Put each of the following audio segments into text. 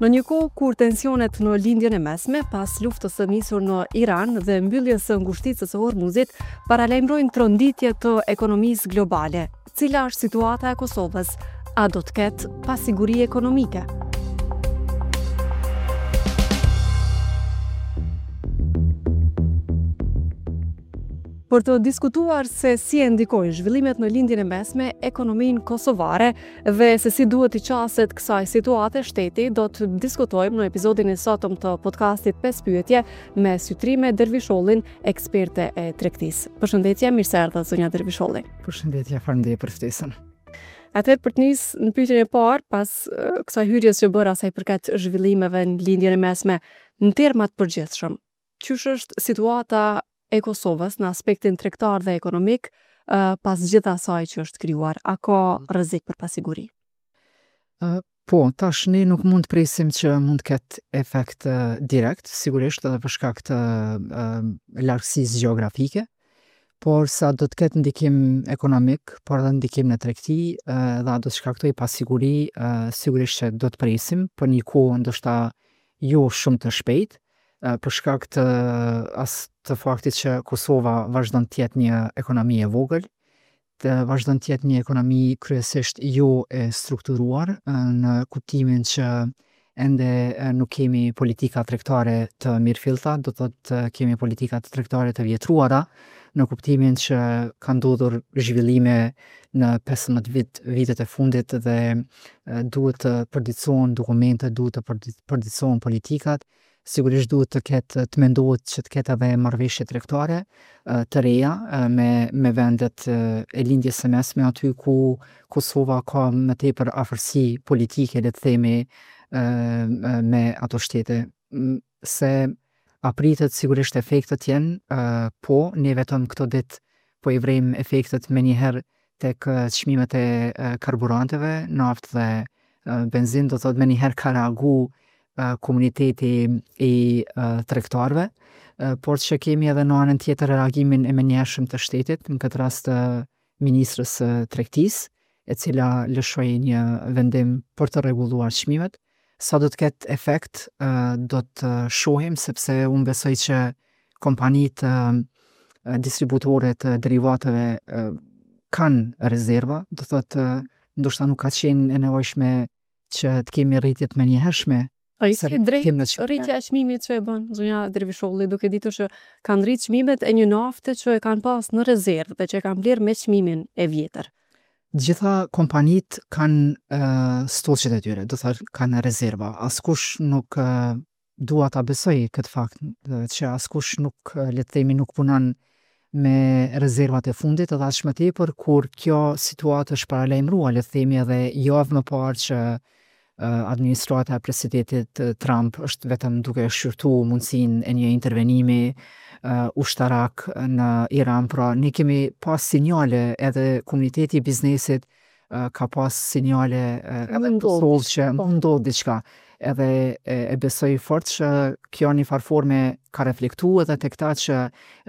Në një kohë kur tensionet në Lindjen e Mesme, pas luftës së nisur në Iran dhe mbylljes së ngushticës së Hormuzit, paralajmërojnë tronditje të ekonomisë globale, cila është situata e Kosovës? A do të ketë pasiguri ekonomike? Për të diskutuar se si e ndikojnë zhvillimet në Lindjen e Mesme ekonominë kosovare dhe se si duhet t'i qaset kësaj situate shteti, do të diskutojmë në episodin e sotëm të podcastit 5 pyetje me Sytrime Dervishollin, eksperte e tregtisë. Përshëndetje, mirë se erdhët zonja Dervisholli. Përshëndetje, faleminderit për ftesën. Atëherë për të nis në pyetjen e parë, pas kësaj hyrjes që bëra sa i përket zhvillimeve në Lindjen e Mesme, në terma të përgjithshëm, Qysh është situata e Kosovës në aspektin tregtar dhe ekonomik pas gjithë asaj që është krijuar? A ka rrezik për pasiguri? Po, tash ne nuk mund të presim që mund të ketë efekt direkt, sigurisht edhe për shkak të largësisë gjeografike, por sa do të ketë ndikim ekonomik, por edhe ndikim në tregti dhe a do të shkaktojë pasiguri, sigurisht që do të presim për një kohë ndoshta jo shumë të shpejtë, për shkak të as të faktit që Kosova vazhdon të jetë një ekonomi e vogël, të vazhdon të jetë një ekonomi kryesisht jo e strukturuar në kuptimin që ende nuk kemi politika tregtare të mirëfillta, do të thotë kemi politika tregtare të vjetruara, në kuptimin që ka ndodhur zhvillime në 15 vit, vitet e fundit dhe duhet të përditësohen dokumentet, duhet të përditësohen politikat, sigurisht duhet të ketë të mendohet që të ketë edhe marrëveshje tregtare të reja me me vendet e Lindjes së Mesme aty ku Kosova ka më tepër afërsi politike le të themi me ato shtete se a pritet sigurisht efektet të jenë po ne vetëm këto ditë po i vrejmë efektet menjëherë tek çmimet e karburanteve, naftë dhe benzinë, do të thotë menjëherë ka reagu komuniteti i tregtarëve, por që kemi edhe në anën tjetër reagimin e menjëhershëm të shtetit, në këtë rast të ministres së Tregtisë, e cila lëshoi një vendim për të rregulluar çmimet. Sa do të ketë efekt, do të shohim, sepse unë besoj që kompanitë distributore të derivateve kanë rezerva, do thotë ndoshta nuk ka qenë e nevojshme që të kemi rritje të menjëhershme. A ishte e drejtë rritja e çmimit që e bën zonja Dervisholli, duke ditur që kanë rritë çmimet e një nafte që e kanë pas në rezervë dhe që e kanë blerë me çmimin e vjetër? Gjitha kompanitë kanë stoqet e tyre, do thotë kanë rezerva. Askush nuk dua ta besoj këtë fakt që askush nuk le të themi nuk punon me rezervat e fundit edhe aq më tepër kur kjo situatë është paralajmëruar le të themi edhe javë më parë që administrata e presidentit Trump është vetëm duke shqyrtu mundësinë e një intervenimi ushtarak në Iran. Pra ne kemi pas sinjale edhe komuniteti i biznesit ka pas sinjale edhe në Kosovë që po ndodh diçka. Edhe e, e besoj fort që kjo një farë forme ka reflektu edhe tek ta që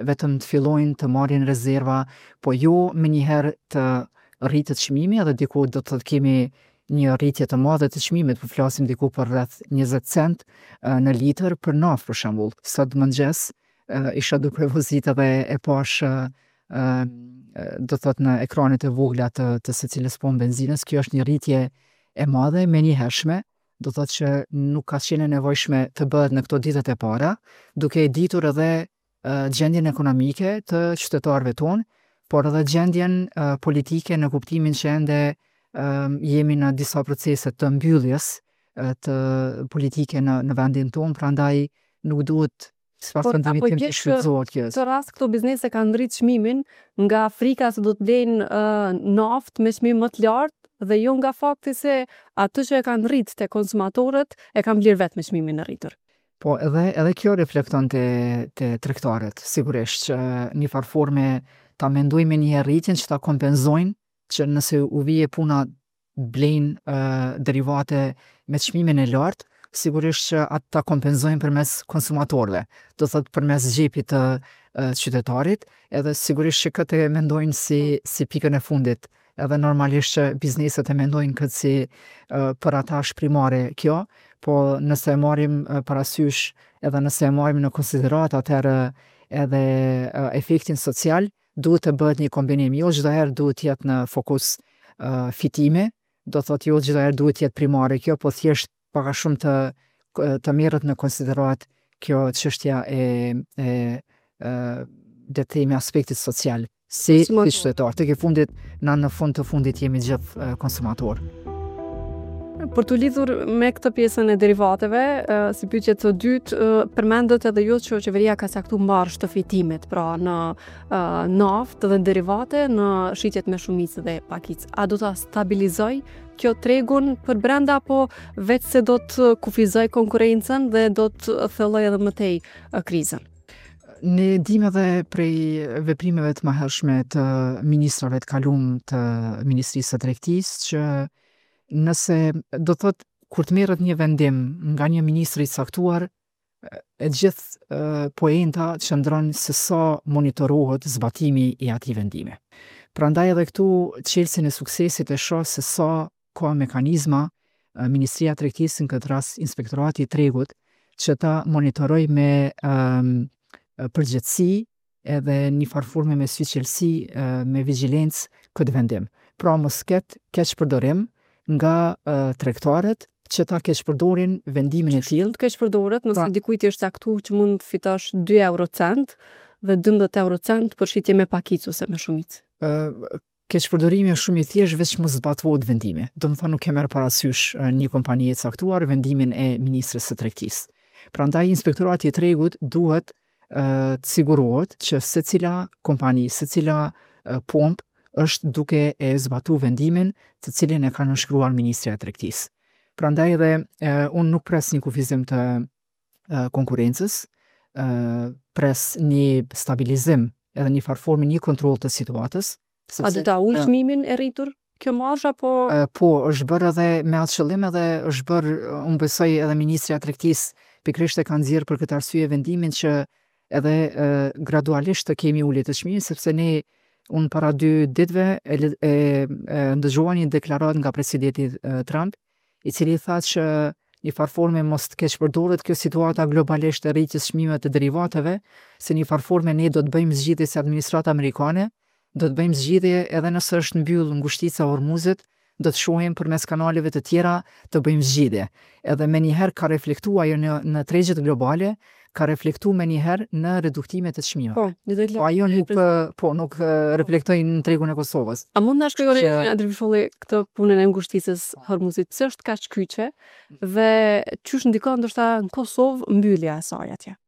vetëm të fillojnë të marrin rezerva, po jo menjëherë të rritet çmimi edhe diku do të kemi një rritje të madhe të çmimit, po flasim diku për rreth 20 cent në litër për naftë për shembull. Sot mëngjes isha duke vozit edhe e pashë do të thotë në ekranet e vogla të, të secilës pompë benzinës, kjo është një rritje e madhe, e menjëhershme, do të thotë që nuk ka qenë e nevojshme të bëhet në këto ditët e para, duke e ditur edhe gjendjen ekonomike të qytetarëve tonë, por edhe gjendjen politike në kuptimin që ende jemi në disa procese të mbylljes të politike në në vendin tonë, prandaj nuk duhet Sipas mendimit tim të shfrytëzohet kjo. Këtë rast këto biznese kanë rrit çmimin nga frika se do të blejnë uh, naftë me çmim më të lartë dhe jo nga fakti se atë që e kanë rrit te konsumatorët e kanë blerë vetë me çmimin e rritur. Po edhe edhe kjo reflekton te te tregtarët, sigurisht që një farë forme ta mendojnë menjëherë rritjen që ta kompenzojnë që nëse u vije puna blejnë derivate me çmimin e lartë, sigurisht që atë ta kompenzojnë përmes konsumatorëve, do thotë përmes xhepit të qytetarit, edhe sigurisht që këtë e mendojnë si si pikën e fundit. Edhe normalisht që bizneset e mendojnë këtë si për ata është primare kjo, po nëse e marrim parasysh edhe nëse e marrim në konsideratë atëherë edhe efektin social, duhet të bëhet një kombinim, jo çdo herë duhet të jetë në fokus fitimi, do thotë jo çdo herë duhet të jetë primare kjo, po thjesht pak a shumë të të merret në konsideratë kjo çështja e e e le të themi aspektit social si si qytetar. Tek e fundit, na në fund të fundit jemi gjithë konsumatorë. Për t'u lidhur me këtë pjesën e derivateve, si pyetje të dytë, përmendët edhe ju që qeveria ka caktu marzh të fitimit, pra në naftë dhe derivate në shitjet me shumicë dhe pakicë. A do ta stabilizojë kjo tregun përbrenda apo veç se do të kufizojë konkurrencën dhe do të thellojë edhe më tej krizën? Ne dimë edhe prej veprimeve të mëhershme të ministrave të kalum të Ministrisë së Tregtisë që nëse do thotë kur të merret një vendim nga një ministër i caktuar, e gjithë poenta qëndron se sa monitorohet zbatimi i atij vendimi. Prandaj edhe këtu çelësin e suksesit e shoh se sa ka mekanizma Ministria e Tregtisë në këtë rast Inspektorati i Tregut që ta monitorojë me um, përgjegjësi edhe një farë forme me syçelësi, me vigjilencë këtë vendim. Pra mos ketë keqpërdorim nga tregtarët që ta keqpërdorin vendimin e tillë. Të keqpërdoret nëse pra, dikujt i është caktu që mund të fitosh 2 euro cent dhe 12 euro cent për shitje me pakicë ose me shumicë. Keqpërdorimi është shumë i thjeshtë veç mos zbatohet vendimi. Domethënë nuk e merr parasysh një kompani e caktuar vendimin e ministres së Tregtisë. Prandaj Inspektorati i Tregut duhet të sigurohet që secila kompani, secila pompë është duke e zbatu vendimin të cilin e ka nënshkruar ministrja e Tregtisë. Prandaj edhe unë nuk pres një kufizim të konkurrencës, pres një stabilizim edhe një farë forme një kontroll të situatës. Sepse, A do ta ulë çmimin e rritur kjo marzh apo? Po, është bërë edhe me atë qëllim edhe është bërë, unë besoj edhe ministrja e Tregtisë pikërisht e ka nxjerrë për këtë arsye vendimin që edhe gradualisht të kemi ulje të çmimit sepse ne unë para dy ditëve e, e, e ndëgjova një deklaratë nga presidenti Trump i cili tha që një farë forme mos të keqpërdoret kjo situata globalisht e rritjes çmimeve të derivateve, se një farë forme ne do të bëjmë zgjidhje si administrata amerikane, do të bëjmë zgjidhje edhe nëse është mbyll ngushtica e Hormuzit, do të shohim përmes kanaleve të tjera të bëjmë zgjidhje. Edhe menjëherë ka reflektu ajo në në tregjet globale, ka reflektu menjëherë në reduktime të çmimeve. Po, po ajo nuk po nuk reflektoi në tregun e Kosovës. A mund na shpjegoni zonja Dervisholli këtë punën e ngushticës Hormuzit, pse është kaq kyçe dhe qysh ndikon ndoshta në Kosovë mbyllja e saj atje?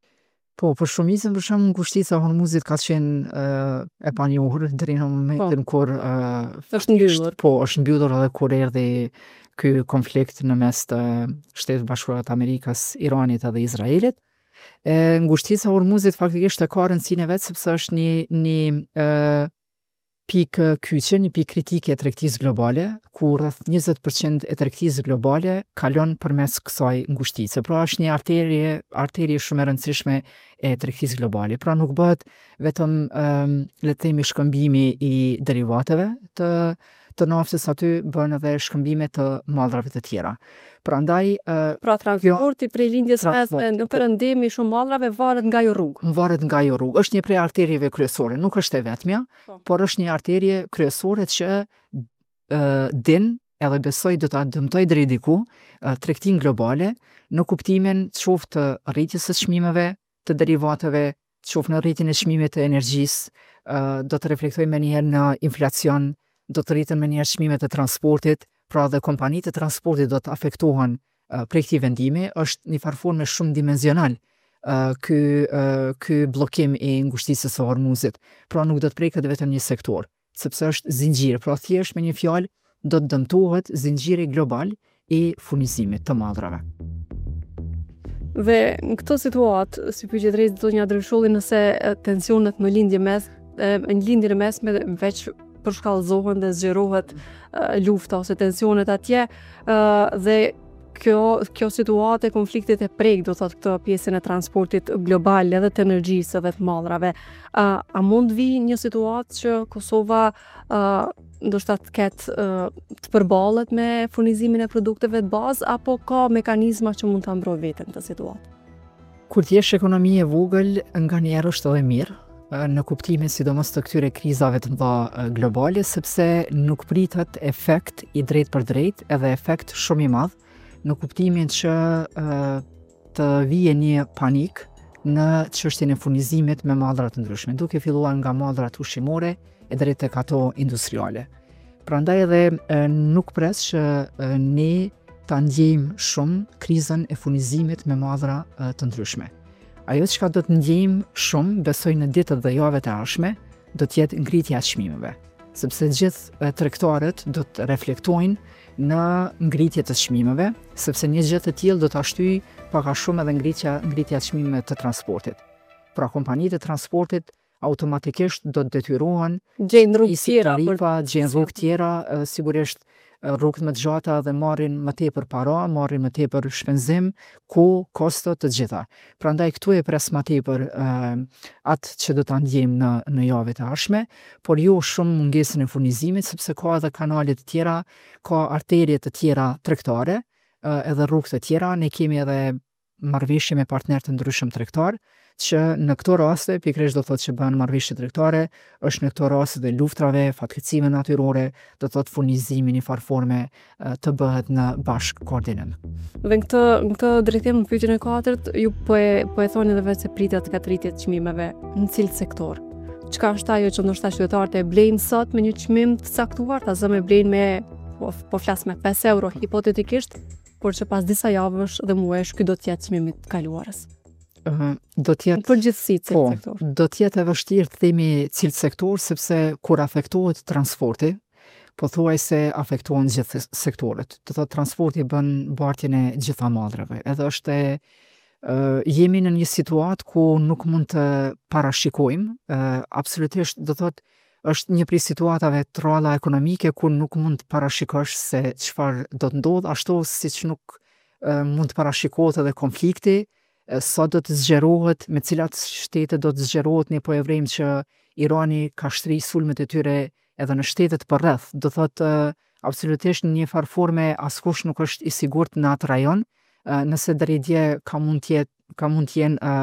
Po, për shumicën për shembull ngushtica e Hormuzit ka qenë e panjohur deri në momentin po. kur është mbyllur. Po, është mbyllur edhe kur erdhi ky konflikt në mes të Shteteve të Bashkuara të Amerikës, Iranit edhe Izraelit. E ngushtica e Hormuzit faktikisht e ka rëndësinë e vet sepse është një një e, pikë kyçe, një pikë kritike e tregtisë globale, ku rreth 20% e tregtisë globale kalon përmes kësaj ngushtice. Pra është një arterie, arterie shumë e rëndësishme e tregtisë globale. Pra nuk bëhet vetëm um, le të themi shkëmbimi i derivateve të të naftës aty bëhen edhe shkëmbime të mallrave të tjera. Prandaj Pra transporti prej lindjes së mesme në perëndim i shumë mallrave varet nga ajo rrugë. Varet nga ajo rrugë. Është një prej arterieve kryesore, nuk është e vetmja, po. por është një arterie kryesore që din edhe besoj do ta dëmtojë deri diku tregtinë globale në kuptimin qoftë të rritjes së çmimeve të derivateve, qoftë në rritjen e çmimit të energjisë, do të reflektojë menjëherë në inflacion, do të rriten menjëherë çmimet e transportit, pra dhe kompanitë e transportit do të afektohen prej këtij vendimi, është një farë forme shumëdimensional ky ky bllokim i ngushticës së Hormuzit. Pra nuk do të preket vetëm një sektor. sepse është zinxhir, pra thjesht me një fjalë do të dëmtohet zinxhiri global i furnizimit të mallrave. Dhe në këtë situatë, si pyetje drejt zonja Dervisholli nëse tensionet në lindje mes, në lindjen e mesme veç përshkallëzohen dhe zgjerohet lufta ose tensionet atje, dhe. Kjo kjo situatë e konfliktit e prek, do thotë këtë pjesën e transportit global edhe të energjisë edhe të mallrave. A, a mund të vijë një situatë që Kosova ë ndoshta të ketë të përballet me furnizimin e produkteve të bazë apo ka mekanizma që mund ta mbrojë veten në këtë situatë? Kur të jesh ekonomi e vogël, nganjëherë është edhe mirë, në kuptimin sidomos të këtyre krizave të mëdha globale, sepse nuk pritet efekt i drejtpërdrejtë edhe efekt shumë i madh, në kuptimin që të vije një panik në çështjen e furnizimit me mallra të ndryshme, duke filluar nga mallrat ushqimore e deri tek ato industriale. Prandaj edhe nuk pres që ne ta ndjejmë shumë krizën e furnizimit me mallra të ndryshme. Ajo çka do të ndjejmë shumë, besoj në ditët dhe javët e ardhshme, do të jetë ngritja e çmimeve, sepse gjithë tregtarët do të reflektojnë në ngritje të çmimeve, sepse një gjë të tillë do ta shtyjë pak a shumë edhe ngritja ngritja e çmimeve të transportit. Pra kompanitë e transportit automatikisht do të detyrohen gjejnë rrugë tjera, tarifa, gjejnë rrugë tjera, sigurisht rrugët më të gjata dhe marrin më tepër para, marrin më tepër shpenzim, kohë, kosto të gjitha. Prandaj këtu e pres më tepër atë që do ta ndjejmë në në javët e ardhshme, por jo shumë mungesën e furnizimit, sepse ka edhe kanale të tjera, ka arterie të tjera tregtare, edhe rrugë të tjera, ne kemi edhe marrëveshje me partnerë të ndryshëm tregtar, që në këto raste, pikërisht do thotë që bëhen marrëveshje tregtare, është në këto raste të luftrave, fatkeqësive natyrore, do thotë furnizimi në një farë forme të bëhet në bashkëkoordinim. Dhe në këtë në këtë drejtim në pyetjen e katërt, ju po e po e thoni edhe vetë se pritet të ketë rritje të çmimeve në cilët sektor. Çka është ajo që ndoshta qytetarët e blejnë sot me një çmim të caktuar, ta zëmë e blejnë me po, po flas me 5 euro hipotetikisht, por që pas disa javësh dhe muajsh ky do të jetë çmimi i të kaluarës. Uh, do të jetë në përgjithësi cilët po, sektor. Do të jetë e vështirë të themi cilët sektor sepse kur afektohet transporti, pothuajse afektohen gjithë sektorët. Do thotë transporti bën bartjen e gjitha mallrave. Edhe është e uh, jemi në një situatë ku nuk mund të parashikojmë, uh, absolutisht do thotë është një prej situatave të rralla ekonomike ku nuk mund të parashikosh se çfarë do të ndodhë, ashtu siç nuk mund të parashikohet edhe konflikti, sa do të zgjerohet, me cilat shtete do të zgjerohet, ne po e vrejmë që Irani ka shtri sulmet e tyre edhe në shtetet përreth. Do thotë absolutisht në një farë forme askush nuk është i sigurt në atë rajon, nëse deri dje ka mund të jetë ka mund të jenë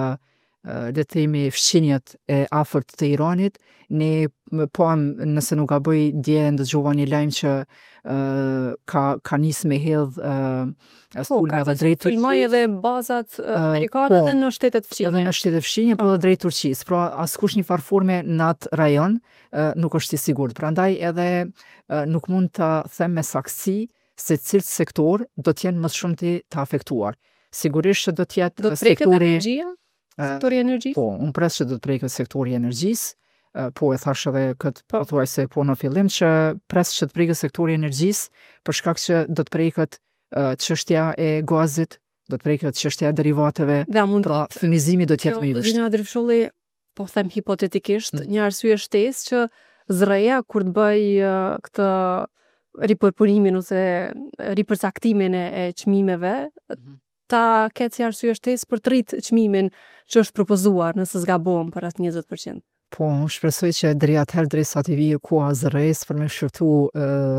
le të themi fqinjët e afërt të Iranit, ne pamë nëse nuk gaboj dje ndëgjova një lajm që ka ka nis me hedh po, sulme edhe drejt Turqisë. Sulmoi edhe bazat amerikane po, edhe në shtetet fqinje. Edhe në shtetet fqinje, po edhe drejt Turqisë. Pra askush një farë forme në atë rajon nuk është i sigurt. Prandaj edhe nuk mund ta them me saktësi se cilët sektorë do të jenë më së shumti të afektuar. Sigurisht që do të jetë do të preket sektori energjia? Sektori i energjisë? Po, unë pres që do të preket sektori i energjisë. Po e thash edhe këtë po. pothuajse po në fillim që pres që të preket sektori i energjisë për shkak që do të preket çështja e gazit, do të preket çështja e derivateve. Dhe mund pra furnizimi do të jetë më i vështirë. Zonja Adrifsholli, po them hipotetikisht, mm. një arsye shtesë që ZRRE-ja kur të bëjë këtë ripërpunimin ose ripërcaktimin e, e çmimeve, mm -hmm. ta ketë si arsye shtesë për të rritë çmimin që është propozuar, nëse s'gabohem për atë 20%. Po, unë shpresoj që deri atëherë derisa t'i vijë koha ZRRE-së për me shqyrtu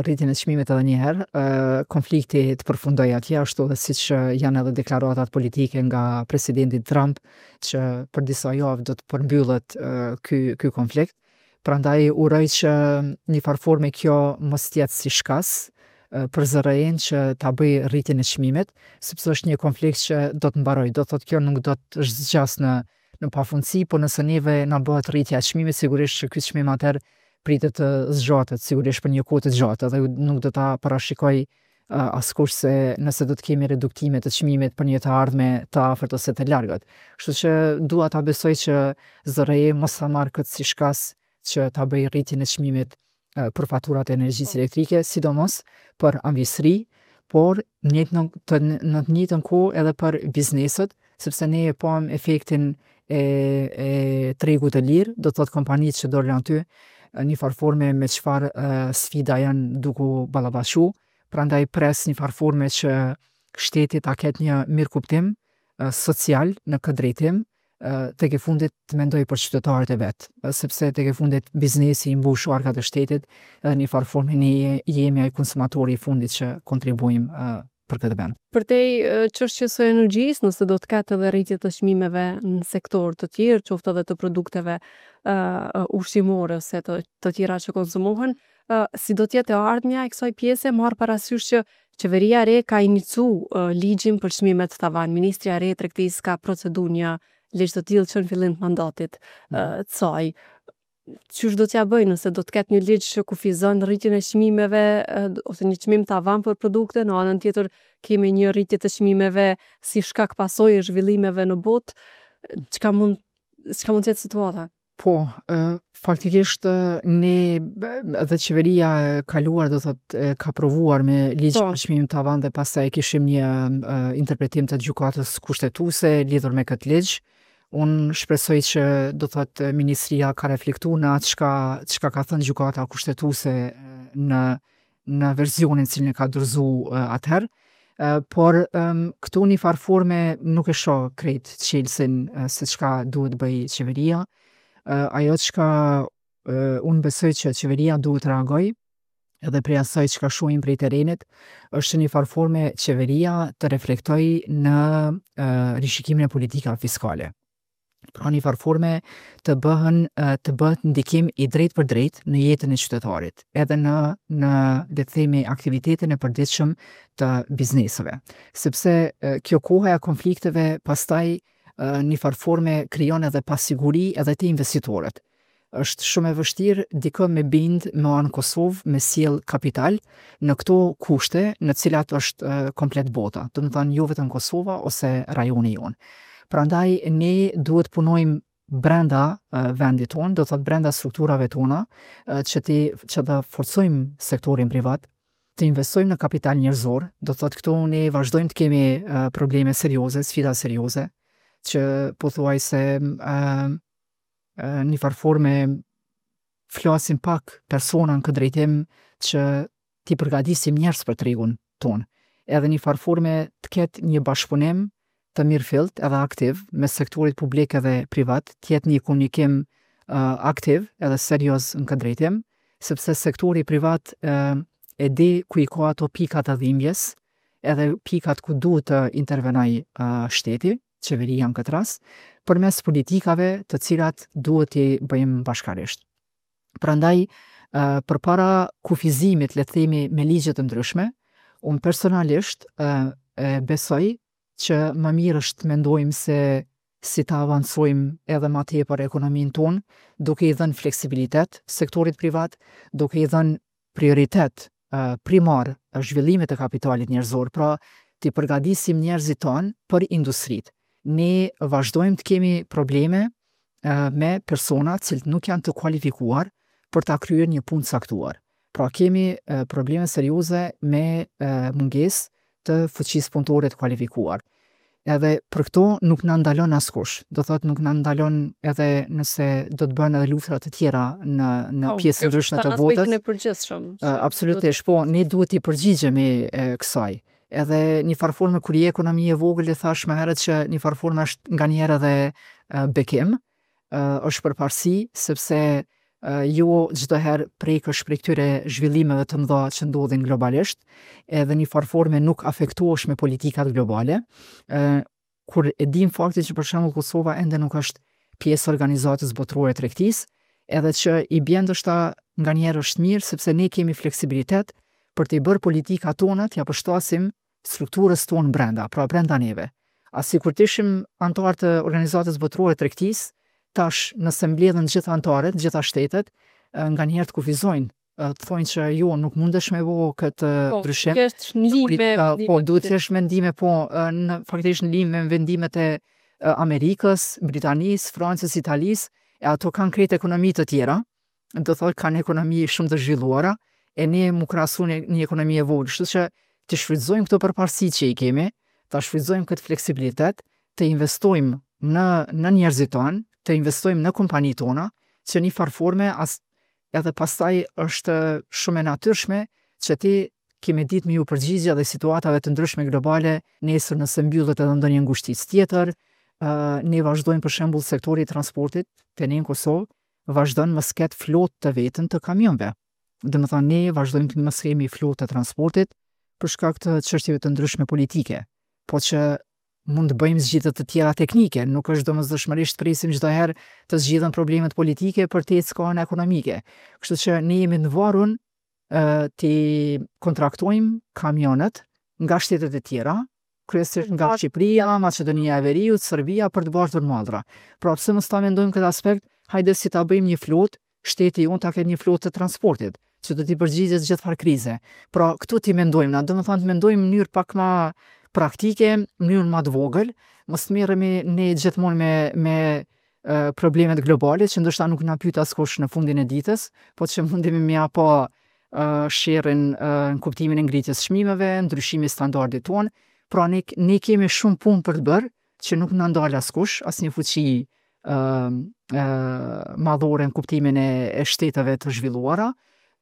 rritjen e çmimit edhe një herë, konflikti të përfundojë atje ashtu edhe siç janë edhe deklaratat politike nga presidenti Trump që për disa javë do të përmbyllet ky ky konflikt. Prandaj uroj që një farë forme kjo mos të jetë si shkas për ZRRE-në që ta bëjë rritjen e çmimit, sepse është një konflikt që do të mbarojë, do të thotë kjo nuk do të zgjasë në në pafundësi, por nëse neve na bëhet rritja e çmimit, sigurisht që ky çmim atëherë pritet të zgjatet, sigurisht për një kohë të gjatë, edhe nuk do ta parashikoj askush se nëse do të kemi reduktime të çmimit për një të ardhme të afërt ose të largët. Kështu që dua ta besoj që ZRRE mos ta marrë këtë si shkas që ta bëjë rritjen e çmimit për faturat e energjisë po. elektrike, sidomos për amvisëri, por në të, të, në të njëjtën kohë edhe për bizneset, sepse ne e pamë efektin e, e tregut të lirë, do të thotë kompanitë që dolën aty, një farë forme me çfarë sfida janë duke u ballafaqu, prandaj pres një farë forme që shteti ta ketë një mirëkuptim social në këtë drejtim, tek e fundit të mendoj për qytetarët e vet, sepse tek e fundit biznesi i mbush arkat e shtetit edhe një farë forme ne jemi ai konsumatori i fundit që kontribuojmë për këtë vend. Përtej çështjes së energjisë, nëse do të ketë edhe rritje të çmimeve në sektorë të tjerë, qoftë edhe të produkteve uh, ushqimore ose të, të tjera që konsumohen, uh, si do të jetë e ardhmja e kësaj pjese, marrë parasysh që qeveria e re ka inicu uh, ligjin për çmimet tavan, ministrja e re e tregtisë ka procedu një ligj të tillë që në fillim të mandatit uh, të saj. Qysh do t'ja bëjë nëse do të ketë një ligj që kufizon rritjen e çmimeve ose një çmim tavan për produkte, në anën tjetër kemi një rritje të çmimeve si shkak pasojë e zhvillimeve në botë, çka mund çka mund të jetë situata? Po, faktikisht ne edhe qeveria e kaluar do thotë ka provuar me ligj po. për çmim tavan dhe pastaj kishim një interpretim të gjykatës kushtetuese lidhur me këtë ligj. Unë shpresoj që do thotë ministria ka reflektu në atë çka çka ka thënë gjykata kushtetuese në në versionin cilin e ka dorëzu atëherë. Por këtu një farë forme nuk e shoh krejt çelësin se çka duhet të bëjë qeveria. Ajo çka unë besoj që qeveria duhet të reagojë edhe prej asaj çka shohim prej terrenit, është që një farë forme qeveria të reflektojë në rishikimin e politikave fiskale. Pra një farë forme të bëhen të bëhet ndikim i drejtpërdrejtë në jetën e qytetarit, edhe në në le të themi aktivitetin e përditshëm të bizneseve. Sepse kjo koha e konflikteve pastaj një farë forme krijon edhe pasiguri edhe te investitorët. Është shumë e vështirë dikë me bind me ardh në Kosovë me sjell kapital në këto kushte në cilat është komplet bota, domethanë jo vetëm Kosova ose rajoni jonë. Prandaj ne duhet punojmë brenda vendit tonë, do të thotë brenda strukturave tona, që ti që të forcojmë sektorin privat, të investojmë në kapital njerëzor, do të thotë këtu ne vazhdojmë të kemi probleme serioze, sfida serioze, që pothuajse një farë forme flasim pak persona në këtë drejtim që t'i përgatisim njerëz për tregun tonë. Edhe një farë forme të ketë një bashkëpunim të mirëfillt edhe aktiv mes sektorit publik edhe privat, të jetë një komunikim uh, aktiv edhe serioz në këtë drejtim, sepse sektori privat uh, e di ku i ka ato pikat e dhimbjes, edhe pikat ku duhet të intervenojë uh, shteti, qeveria në këtë rast, përmes politikave të cilat duhet t'i bëjmë bashkarisht. Prandaj, përpara kufizimit, le të themi, me ligje të ndryshme, unë personalisht e besoj që më mirë është të mendojmë se si ta avancojmë edhe ma tepër ekonominë tonë, duke i dhënë fleksibilitet sektorit privat, duke i dhënë prioritet primar zhvillimit të kapitalit njerëzor, pra t'i përgatisim njerëzit tanë për industritë. Ne vazhdojmë të kemi probleme me persona të cilët nuk janë të kualifikuar për ta kryer një punë të caktuar. Pra kemi probleme serioze me mungesë të fuqisë punëtore të kualifikuar. Edhe për këto nuk na ndalon askush. Do thotë nuk na ndalon edhe nëse do të bëhen edhe luftra të tjera në në po, pjesë të ndryshme të botës. Në përgjithshëm. Absolutisht, po, ne duhet t'i përgjigjemi kësaj. Edhe një farë forme kur je ekonomi e vogël e thash më herët që një farë forme është nganjëherë edhe bekim, është përparësi sepse jo çdo herë prekesh prej këtyre zhvillimeve të mëdha që ndodhin globalisht, edhe një farë forme nuk afektohesh me politikat globale. Ë kur e dim faktin që për shembull Kosova ende nuk është pjesë e organizatës botërore të tregtisë, edhe që i bjen ndoshta nganjëherë është mirë sepse ne kemi fleksibilitet për të i bërë politikat tona t'ia përshtasim strukturës tonë brenda, pra brenda neve. A sikur të ishim anëtarë të Organizatës Botërore të Tregtisë, tash nëse mbledhen gjithë anëtarët, gjitha shtetet, nganjëherë të kufizojnë, të thonë që jo, nuk mundesh me bo këtë po, ndryshim. Po, në linjë me po, duhet të jesh me ndime, po, në faktikisht në linjë me vendimet e Amerikës, Britanisë, Francës, Italisë, e ato kanë krejt ekonomi të tjera, do thotë kanë ekonomi shumë të zhvilluara, e ne mu krahasu në një ekonomi e vogël, kështu që të shfrytëzojmë këto përparësi që i kemi, ta shfrytëzojmë këtë fleksibilitet, të investojmë në në njerëzit tanë, të investojmë në kompanitë tona, që një farë forme as edhe pastaj është shumë e natyrshme që ti Ki me ditë me ju përgjigj edhe situatave të ndryshme globale, nesër nëse mbyllet edhe ndonjë ngushticë tjetër, ne vazhdojmë për shembull sektori i transportit te ne në Kosovë vazhdon mos ketë flotë të vetën të kamionëve. Domethënë ne vazhdojmë të mos kemi flotë të transportit për shkak të çështjeve të ndryshme politike, po që mund të bëjmë zgjidhje të tjera teknike, nuk është domosdoshmërisht presim çdo herë të zgjidhen problemet politike për të ecë ka ana ekonomike. Kështu që ne jemi të varun t'i kontraktojmë kamionët nga shtetet e tjera, kryesisht nga Shqipëria, Maqedonia e Veriut, Serbia për të bartur mallra. Pra pse mos ta mendojmë këtë aspekt, hajde si ta bëjmë një flotë, shteti jonë ta ketë një flotë të transportit, që do t'i përgjigjet gjithfarë krize. Pra këtu t'i mendojmë na, domethënë të mendojmë në mënyrë pak ma praktike, në mënyrë ma të vogël, mos të merremi ne gjithmonë me me problemet globale që ndoshta nuk na pyet askush në fundin e ditës, po që mundemi me ja pa sherrin në kuptimin e ngritjes çmimeve, ndryshimi i standardit tonë. Pra ne ne kemi shumë punë për të bërë që nuk na ndal askush, asnjë fuqi madhore në kuptimin e, e shteteve të zhvilluara.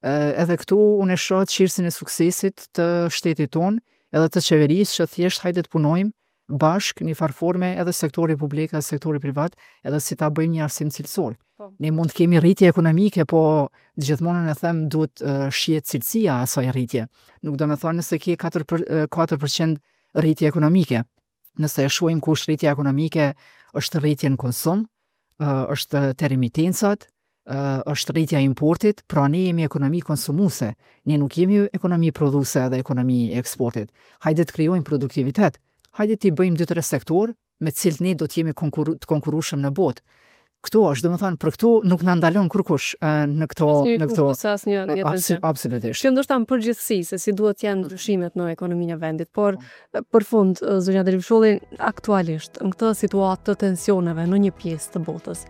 Edhe këtu unë e shoh çelësin e suksesit të shtetit tonë, edhe të qeverisë që thjesht hajde të punojmë bashkë një farë forme edhe sektori publik edhe sektori privat, edhe si ta bëjmë një arsim cilësor. Po. Ne mund të kemi rritje ekonomike, po gjithmonë unë e them duhet uh, shihet cilësia e asaj rritje. Nuk do me thonë nëse ke 4 për, 4% rritje ekonomike. Nëse e shohim ku është rritja ekonomike, është rritje në konsum, është te remitencat, është rritja e importit, pra ne jemi ekonomi konsumuese, ne nuk jemi ekonomi prodhuese dhe ekonomi e eksportit. Hajde të krijojmë produktivitet, hajde t'i bëjmë 2-3 sektorë me të cilët ne do të jemi konkuru, të konkurrueshëm në botë. Këtu është, domethënë, për këtu nuk na ndalon kurkush në këto në këto asnjë tjetër. Absolutisht. Kjo ndoshta në përgjithësi se si duhet të janë ndryshimet në ekonominë e vendit, por për fund zonja Dervisholli aktualisht në këtë situatë të tensioneve në një pjesë të botës.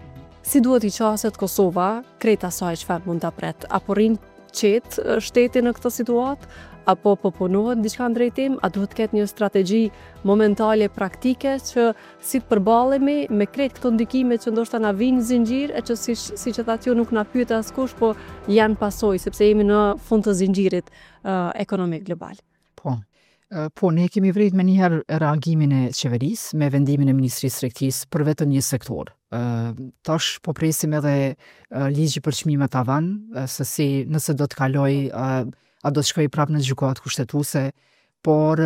Si duhet t'i qaset Kosova krejt asaj çfarë mund ta pret? A po rrin qetë shteti në këtë situatë? Apo po punohet diçka në drejtim? A duhet të ketë një strategji momentale praktike që si të përballemi me krejt këto ndikime që ndoshta na vijnë në zinxhir e që si siç e thatë ju nuk na pyet askush, po janë pasojë sepse jemi në fund të zinxhirit uh, ekonomik global. Po. Po, ne kemi vrejt menjëherë reagimin e qeverisë me vendimin e Ministrisë së Tregtisë për vetëm një sektor. Tash po presim edhe ligji për çmime tavan, se si nëse do të kalojë, a do të shkojë prapë në gjykatë kushtetuese, por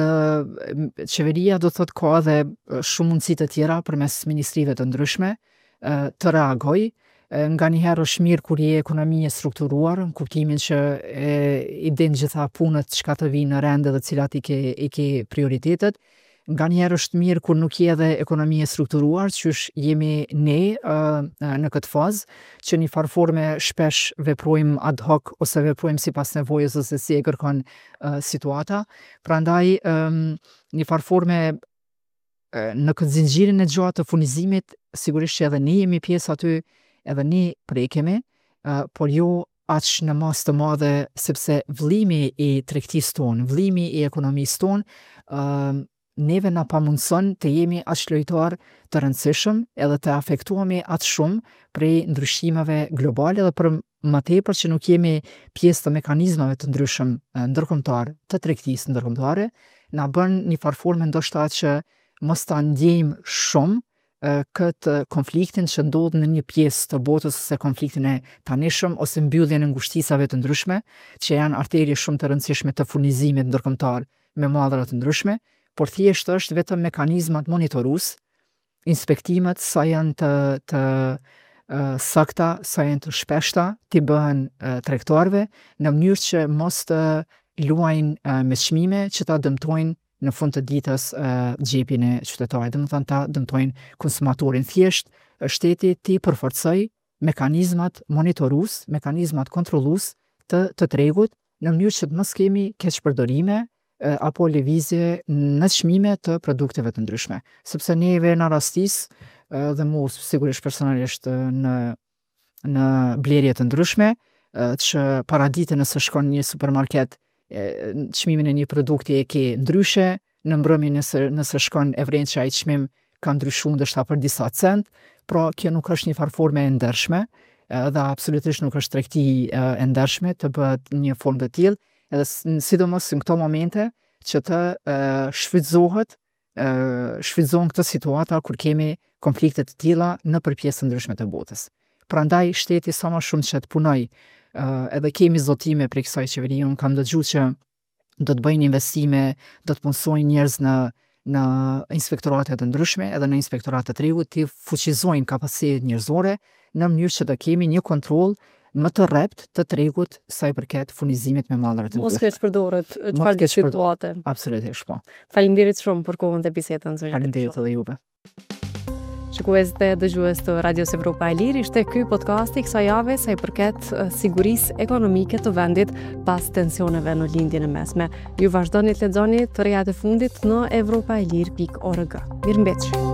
qeveria do të thotë ka edhe shumë mundësi të tjera përmes ministrive të ndryshme të reagojë. Nganjëherë është mirë kur je ekonomi e strukturuar, në kuptimin që e, i din gjitha punët çka të vijnë në rend edhe cilat i ke, i ke prioritetet. Nganjëherë është mirë kur nuk je edhe ekonomi e strukturuar, qysh jemi ne në këtë fazë, që një farë forme shpesh veprojmë ad hoc ose veprojmë sipas nevojës ose si e kërkon situata. Prandaj një farë forme në këtë zinxhirin e gjatë të furnizimit, sigurisht që edhe ne jemi pjesë aty, edhe ne prekemi, por jo aq në masë të madhe sepse vëllimi i tregtisë tonë, vëllimi i ekonomisë tonë, ë neve na pamundëson të jemi aq lojtar të rëndësishëm edhe të afektohemi aq shumë prej ndryshimeve globale dhe për më tepër që nuk jemi pjesë të mekanizmave të ndryshëm ndërkombëtar të tregtisë ndërkombëtare, na bën një farë forme ndoshta që mos ta ndjejmë shumë këtë konfliktin që ndodh në një pjesë të botës ose konfliktin e tanishëm ose mbylljen e ngushticave të ndryshme, që janë arterie shumë të rëndësishme të furnizimit ndërkombëtar me mallra të ndryshme, por thjesht është vetëm mekanizmat monitorues, inspektimet sa janë të të sakta, sa janë të shpeshta, t'i bëhen tregtarëve në mënyrë që mos të luajnë me çmime që ta dëmtojnë në fund të ditës xhepin e qytetarit, domethënë ta dëmtojnë konsumatorin. Thjesht shteti t'i përforcojë mekanizmat monitorues, mekanizmat kontrollues të të tregut në mënyrë që të mos kemi keqpërdorime apo lëvizje në çmime të produkteve të ndryshme. Sepse neve na rastis dhe mu sigurisht personalisht në në blerje të ndryshme, që paradite nëse shkon në një supermarket, çmimin e një produkti e ke ndryshe, në mbrëmje nëse nëse shkon e vren që ai çmim ka ndryshuar ndoshta për disa cent, pra kjo nuk është një farë forme e ndershme, dhe absolutisht nuk është tregti e ndershme të bëhet një formë të tillë. Edhe sidomos në këto momente që të shfrytëzohet shfrytëzohen këto situata kur kemi konflikte të tilla nëpër pjesë të ndryshme të botës. Prandaj shteti sa më shumë që të punojë, edhe kemi zotime prej kësaj qeverie, unë kam dëgju që do të bëjnë investime, do të punësojnë njerëz në në inspektorate të ndryshme, edhe në inspektorat të tregut, t'i fuqizojnë kapacitetet njerëzore në mënyrë që të kemi një kontroll më të rreptë të tregut sa i përket furnizimit me mallra të ndryshme. Mos keqpërdoret çfarëdo situate. Absolutisht po. Faleminderit shumë për kohën dhe bisedën zonja. Faleminderit edhe juve. Shikues dhe dëgjues të Radios Evropa e Lirë, ishte ky podcasti i kësaj jave sa i përket sigurisë ekonomike të vendit pas tensioneve në Lindjen e Mesme. Ju vazhdoni të lexoni të rejat e fundit në evropaelire.org. Mirëmbetshi!